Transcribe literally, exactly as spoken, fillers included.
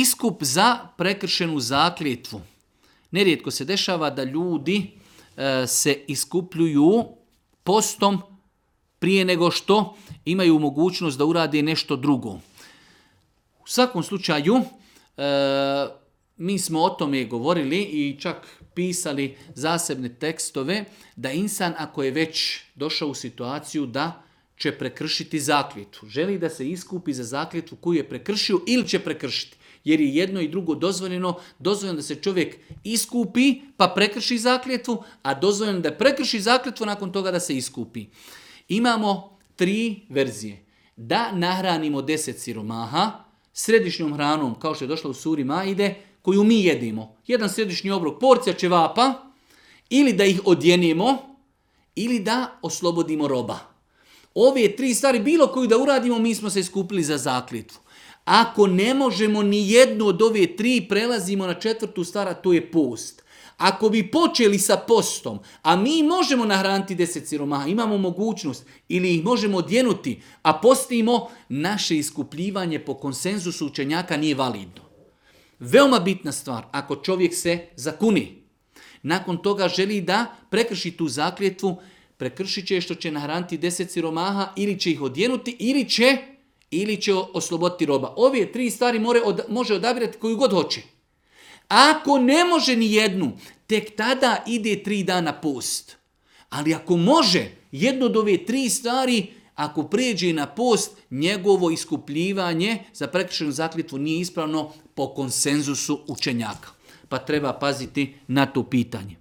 iskup za prekršenu zakljetvu. Nerijetko se dešava da ljudi e, se iskupljuju postom prije nego što imaju mogućnost da urade nešto drugo. U svakom slučaju, e, mi smo o tome govorili i čak pisali zasebne tekstove da insan ako je već došao u situaciju da će prekršiti zakljetvu, želi da se iskupi za zakljetvu koju je prekršio ili će prekršiti. Jer je jedno i drugo dozvoljeno, dozvoljeno da se čovjek iskupi pa prekrši zakljetvu, a dozvoljeno da prekrši zakljetvu nakon toga da se iskupi. Imamo tri verzije. Da nahranimo deset siromaha središnjom hranom, kao što je došlo u suri Maide, koju mi jedimo. Jedan središnji obrok, porcija ćevapa, ili da ih odjenemo, ili da oslobodimo roba. Ove tri stvari, bilo koju da uradimo, mi smo se iskupili za zakljetvu. Ako ne možemo ni jednu od ove tri, prelazimo na četvrtu stvar, a to je post. Ako bi počeli sa postom, a mi možemo nahraniti deset siromaha, imamo mogućnost, ili ih možemo odjenuti, a postimo, naše iskupljivanje po konsenzusu učenjaka nije validno. Veoma bitna stvar, ako čovjek se zakuni, nakon toga želi da prekrši tu zakljetvu, prekršit će što će nahraniti deset siromaha, ili će ih odjenuti, ili će, ili će osloboditi roba. Ove tri stvari more, od, može odabirati koju god hoće. Ako ne može ni jednu, tek tada ide tri dana post. Ali ako može jednu od ove tri stvari, ako prijeđe na post, njegovo iskupljivanje za prekršenu zakljetvu nije ispravno po konsenzusu učenjaka. Pa treba paziti na to pitanje.